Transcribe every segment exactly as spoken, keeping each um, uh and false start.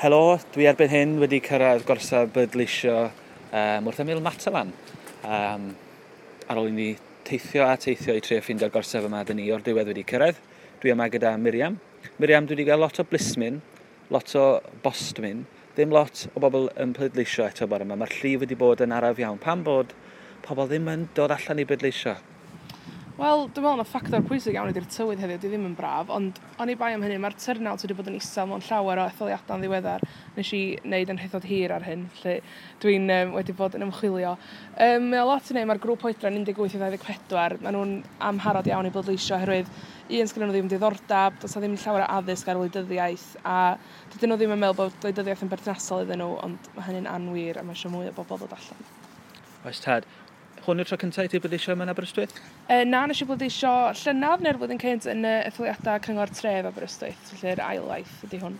Helo, dwi erbyn hyn wedi cyrraedd gorsaf bleidleisio um, wrth ymyl Matalan. Um, ar ôl i ni teithio a teithio i trio ffeindio'r gorsaf yma, dyn ni o'r diwedd wedi cyrraedd. Dwi yma gyda Miriam. Miriam, dwi wedi cael lot o blismyn, lot o bostmyn, ddim lot o bobl yn pleidleisio eto bore yma. Mae'r llif wedi bod yn araf iawn. Pam bod pobl ddim yn dod allan i bleidleisio? Wel, dwi'n meddwl na ffactor pwysig iawn ydy'r tywydd heddiw, di ddim yn braf, ond oni bai am hynny, mae'r turnout wedi bod yn isel mewn llawer o etholiadau'n ddiweddar. Nes i wneud yn nhraethawd hir ar hyn, felly dwi'n um, wedi bod yn ymchwilio. Um, mae o lot i wneud, mae'r grŵp oedran un deg wyth i ddau ddeg pedwar, maen nhw'n amharod iawn i bleidleisio oherwydd un, sgynnon nhw ddim diddordeb, does 'na ddim llawer o addysg ar wleidyddiaeth, a dydyn nhw ddim yn meddwl bod gwleidyddiaeth yn berthnasol iddyn nhw, ond mae hynny'n anwir a mae eisiau mwy o bobl ddod allan. Oes tad. Hwn yw'r tro cyntaf i ti bleidleisio yma yn Aberystwyth? E, na, nes i bleidleisio llynedd neu'r flwyddyn cynt yn y etholiadau Cyngor Tref Aberystwyth, felly'r ail waith ydy hwn.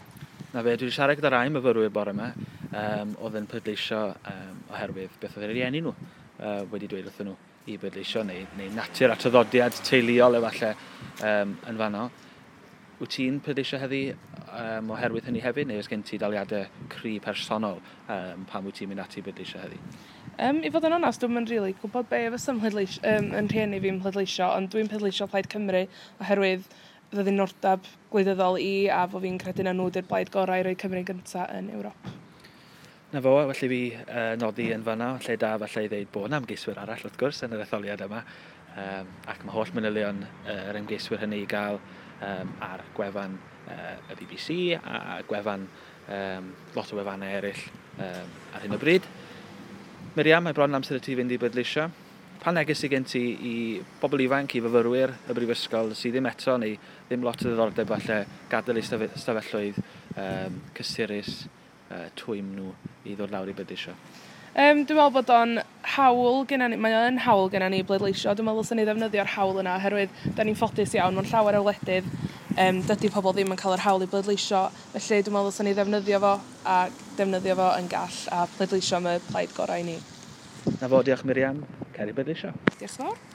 Na fe, dwi wedi siarad gyda rai myfyrwyr bore yma, um, oedd yn pleidleisio um, oherwydd beth oedd eu rhieni nhw uh, wedi dweud wrthyn nhw i bleidleisio, neu, neu natur a traddodiad teuluol efallai um, yn fanno. Wyt ti'n pleidleisio heddi um, oherwydd hynny hefyd, neu oes gen ti daliadau cry personol um, pam wyt ti'n mynd ati i bleidleisio heddi? Um, I fod yn onest, dwi'm yn rili gwybod be fysa mhleidleis, um, yn rhieni fi'n pleidleisio, ond dwi'n pleidleisio Plaid Cymru oherwydd fy ddiddordeb gwleidyddol i a fo fi'n credu na nhw 'di'r blaid gorau i roi Cymru gyntaf yn Ewrop. Na fo, felly fi uh, nodi yn fanna, lle da falle i ddeud bod yna ymgeiswyr arall wrth gwrs yn yr etholiad yma, um, ac mae holl manylion uh, yr ymgeiswyr hynny i gael um, ar gwefan uh, y B B C a gwefan um, lot o wefannau eraill um, ar hyn o bryd. Miriam, mae bron amser i ti fynd i bleidleisio. Pa neges sydd gen ti i bobl ifanc, i fyfyrwyr y brifysgol sydd ddim eto neu ddim lot o ddiddordeb falle gadael eu stafelloedd um, cysurus, uh, twym nhw i ddod lawr i bleidleisio? Um, dwi'n meddwl bod o'n hawl genna ni, mae o'n hawl genna ni bleidleisio. Dwi'n meddwl dylsen ni ddefnyddio'r hawl yna oherwydd da ni'n ffodus iawn mewn llawer o wledydd. Um, dydy pobl ddim yn cael yr hawl i bleidleisio, felly dwi'n meddwl dylsen ni ddefnyddio fo a defnyddio fo yn gall a pleidleisio am y plaid gorau i ni. Na fo, diolch Miriam. Cer i bleidleisio. Diolch yn fawr.